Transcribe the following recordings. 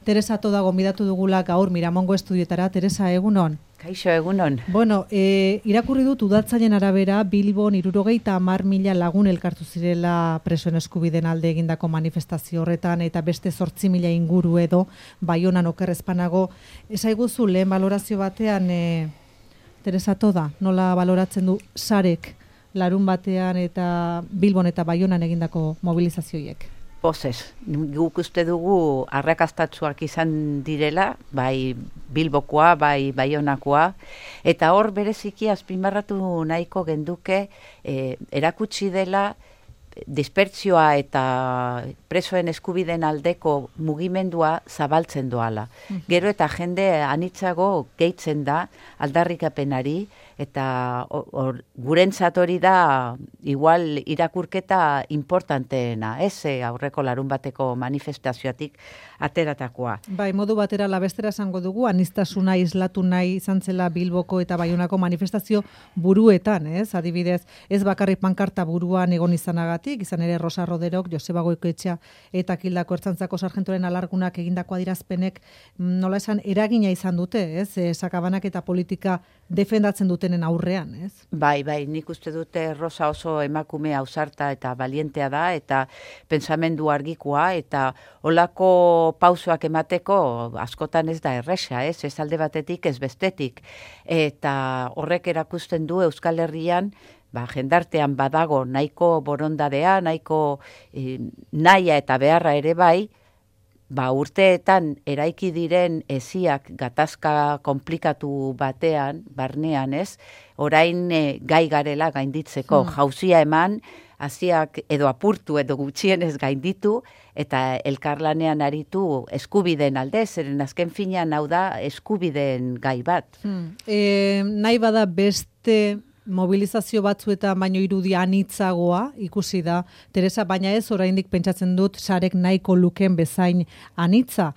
Teresa Toda gonbidatu dugula gaur Miramongo estudioetara. Teresa, egunon. Kaixo, egunon. Bueno, irakurri dut udatzaileen arabera Bilbon 70.000 lagun elkartu zirela presoen eskubideen alde egindako manifestazio horretan eta beste 8.000 inguru edo Baionan okerrezpanago. Esaiguzu lehen balorazio batean Teresa Toda, nola baloratzen du sarek larun batean eta Bilbon eta Baionan egindako mobilizazioiek? Pozez, guk uste dugu arrakastatsuak izan direla, bai Bilbokoa, bai Baionakoa, eta hor bereziki azpimarratu nahiko genduke erakutsi dela dispertsioa eta presoen eskubideen aldeko mugimendua zabaltzen doala. Gero eta jende anitzago gehitzen da aldarrikapenari, eta gurentzat hori da igual irakurketa importanteena, aurreko larun bateko manifestazioatik ateratakoa. Bai, modu batera labestera esango dugu, aniztasuna islatu nahi izan zela Bilboko eta Baionako manifestazio buruetan, adibidez, ez bakarrik pankarta buruan egon izanagatik, izan ere Rosa Roderok, Joseba Goikoetxea eta Kildako Ertzaintzako sargentoren alargunak egindako adierazpenek nola esan eragina izan dute, sakabanak eta politika defendatzen dutenen aurrean, ez? Bai, nik uste dute Rosa oso emakume ausarta eta balientea da, eta pentsamendu argikoa, eta olako pausoak emateko askotan ez da erresa, ez alde batetik, ez bestetik. Eta horrek erakusten du Euskal Herrian, jendartean badago nahiko borondadea, nahiko nahia eta beharra ere bai, urteetan eraiki diren esiak gatazka komplikatu batean, barnean ez, orain gai garela gainditzeko, jauzia eman, hasiak edo apurtu edo gutxienez gainditu, eta elkarlanean aritu eskubideen alde, zeren azken finean hau da eskubideen gai bat. Nahi bada beste mobilizazio batzuetan baino irudia anitzagoa ikusi da, Teresa, baina ez oraindik pentsatzen dut sarek nahiko luken bezain anitza.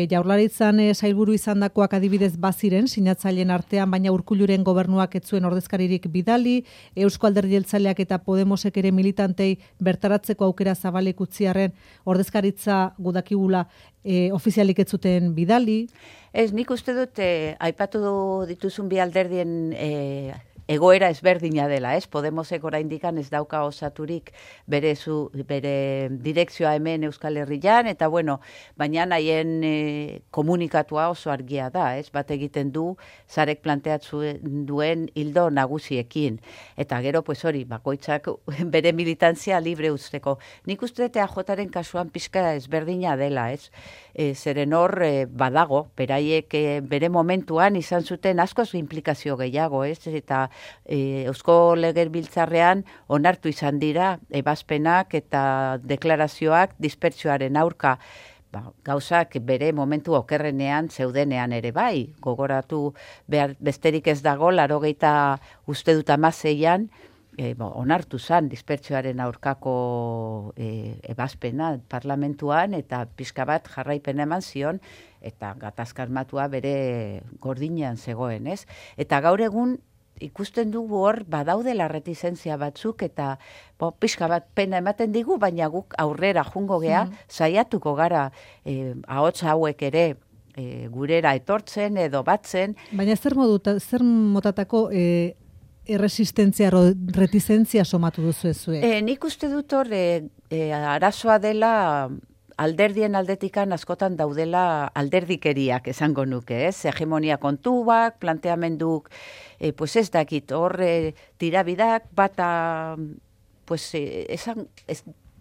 Jaurlaritzan sailburu izandakoak adibidez baziren sinatzaileen artean, baina Urkulluren gobernuak ez zuen ordezkaririk bidali, Eusko Alderdi Jeltzaleak eta Podemosek ere militantei bertaratzeko aukera zabalik utziarren ordezkaritza gudakigula ofizialik ez zuten bidali. Ez, nik uste dut aipatu dituzun bi alderdien egoera ezberdina dela, Podemosek oraindikan ez dauka osaturik bere direkzioa hemen Euskal Herrian, eta baina haien komunikatua oso argia da, bat egiten du sarek planteatzen duen hildo nagusiekin. Eta gero, hori, bakoitzak bere militantzia libre usteko. Nik uste dut AJaren kasuan pixka ezberdina dela, zeren hor badago, beraiek bere momentuan izan zuten askoz implikazio gehiago, eta Eusko Legebiltzarrean onartu izan dira ebazpenak eta deklarazioak dispertsioaren aurka, gauzak bere momentu okerrenean zeudenean ere bai, gogoratu behar besterik ez dago, 80 uste dut 16an, onartu zan dispertsioaren aurkako ebazpena parlamentuan, eta pixka bat jarraipena eman zion, eta gatazka armatua bere gordinean zegoen, ez? Eta gaur egun ikusten dugu hor badaudela retizentzia batzuk, eta pixka bat pena ematen digu, baina guk aurrera jungo gea, saiatuko gara ahots hauek ere gurera etortzen edo batzen. Baina zer motatako erresistentzia, retizentzia somatu duzu ezue? Nik uste dut hor arazoa dela alderdien aldetikan askotan daudela alderdikeriak esango nuke, hegemonia kontuak, planteamenduk, ez dakit, hor tirabidak, bata,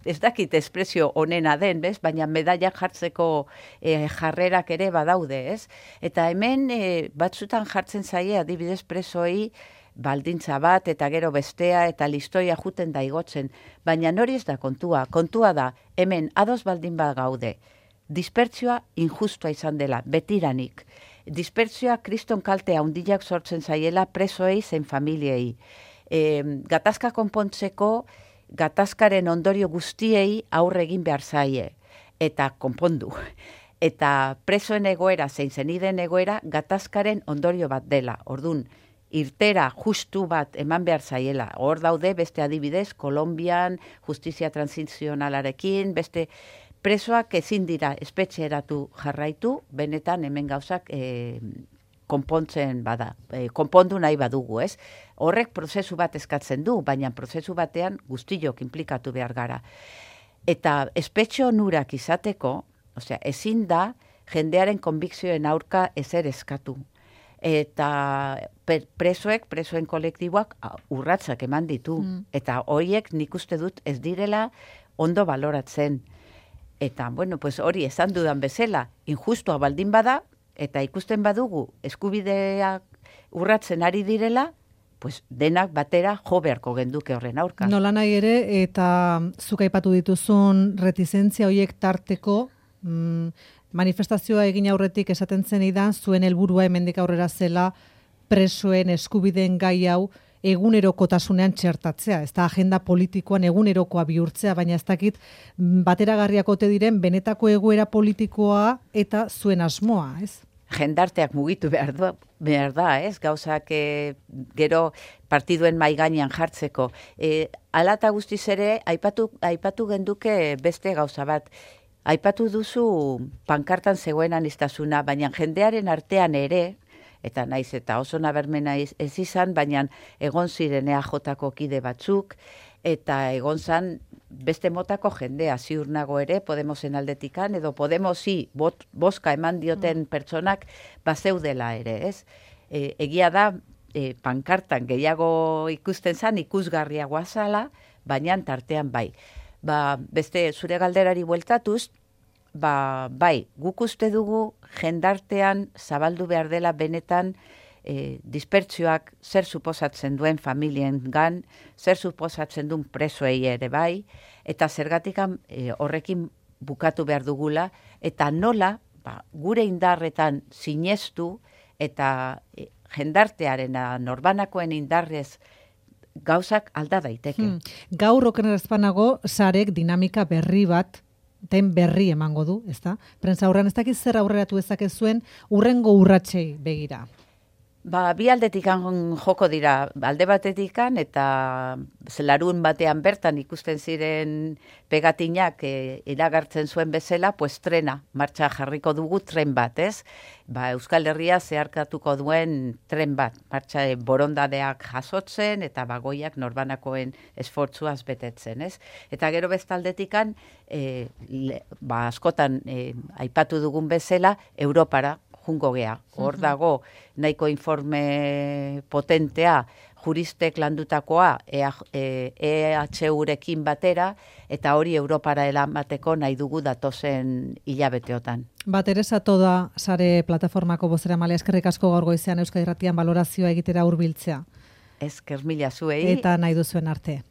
ez dakit espresio onena den, baina medaiak jartzeko jarrerak ere badaude, Eta hemen batzutan jartzen zaie adibidez presoei baldintza bat eta gero bestea eta listoia juten da igotzen, baina hori ez da kontua. Kontua da, hemen ados baldin bat gaude, dispertsioa injustua izan dela, betiranik. Dispertsioa kriston kalte handiak sortzen zaiela presoei zein familiei. Gatazka konpontzeko, gatazkaren ondorio guztiei aurre egin behar zaie, eta konpondu. Eta presoen egoera zein zeniden egoera gatazkaren ondorio bat dela, ordun, irtera justu bat eman behar zaiela. Hor daude beste adibidez, Kolonbian justizia transizionalarekin, beste presoak ezin dira espetxeratu jarraitu, benetan hemen gauzak konpontzen bada, konpondu nahi badugu, ez? Horrek prozesu bat eskatzen du, baina prozesu batean guztiok inplikatu behar gara. Eta espetxe onurak izateko, osea, ezin da jendearen konbikzioen aurka ezer eskatu. Eta presoen kolektiboak urratsak eman ditu. Eta horiek nik uste dut ez direla ondo baloratzen. Eta, bueno, pues hori esan dudan bezala, injustua baldin bada, eta ikusten badugu eskubideak urratzen ari direla, pues denak batera jo beharko genduke horren aurka. Nola nahi ere, eta zuk aipatu dituzun retizentzia horiek tarteko, manifestazioa egin aurretik esaten zen idan, zuen helburua hemendik aurrera zela presoen eskubideen gai hau egunerokotasunean txertatzea. Ez da agenda politikoan egunerokoa bihurtzea, baina ez dakit bateragarriak ote diren benetako egoera politikoa eta zuen asmoa, ez? Jendarteak mugitu behar da, ez? Gauzak gero partiduen mai gainean jartzeko. Hala eta guztiz ere, aipatu genduke beste gauza bat. Aipatu duzu pankartan zegoen aniztasuna, baina jendearen artean ere, eta naiz eta oso nabarmena ez izan, baina egon ziren EAJ-ko kide batzuk, eta egon zan beste motako jendea ziur nago ere, Podemosen aldetikan, edo Podemosi boska eman dioten pertsonak bazeudela ere, ez? Egia da, pankartan gehiago ikusten zan, ikusgarriagoa zala, baina tartean bai. Beste zure galderari bueltatuz, bai, guk uste dugu jendartean zabaldu behar dela benetan dispertsioak zer suposatzen duen familiengan, zer suposatzen duen presoei ere bai, eta zergatikan horrekin bukatu behar dugula, eta nola gure indarretan sinestu eta jendartearen norbanakoen indarrez gauzak alda daiteke. Gaur okenerazpanago sarek dinamika berri bat den berri emango du, ezta? Prentza aurrean ez dakiz zer aurreratu ezakezuen urrengo urratsei begira. Bi aldetikan joko dira, alde batetikan eta larun batean bertan ikusten ziren pegatinak iragartzen zuen bezala, pues trena, martxa jarriko dugu tren bat, ez? Euskal Herria zeharkatuko duen tren bat, martxa borondadeak jasotzen eta bagoiak norbanakoen esfortzuaz betetzen, ez? Eta gero bestaldetikan, askotan aipatu dugun bezala, Europara jungo gea. Hor dago nahiko informe potentea juristek landutakoa EHUrekin batera, eta hori Europara eramateko nahi dugu datozen hilabeteotan. Teresa Toda sare plataformako bozeramailea, eskerrik asko gaur goizean Euskadi Irratian balorazioa egitera hurbiltzea. Esker mila zuei. Eta nahi duzuen arte.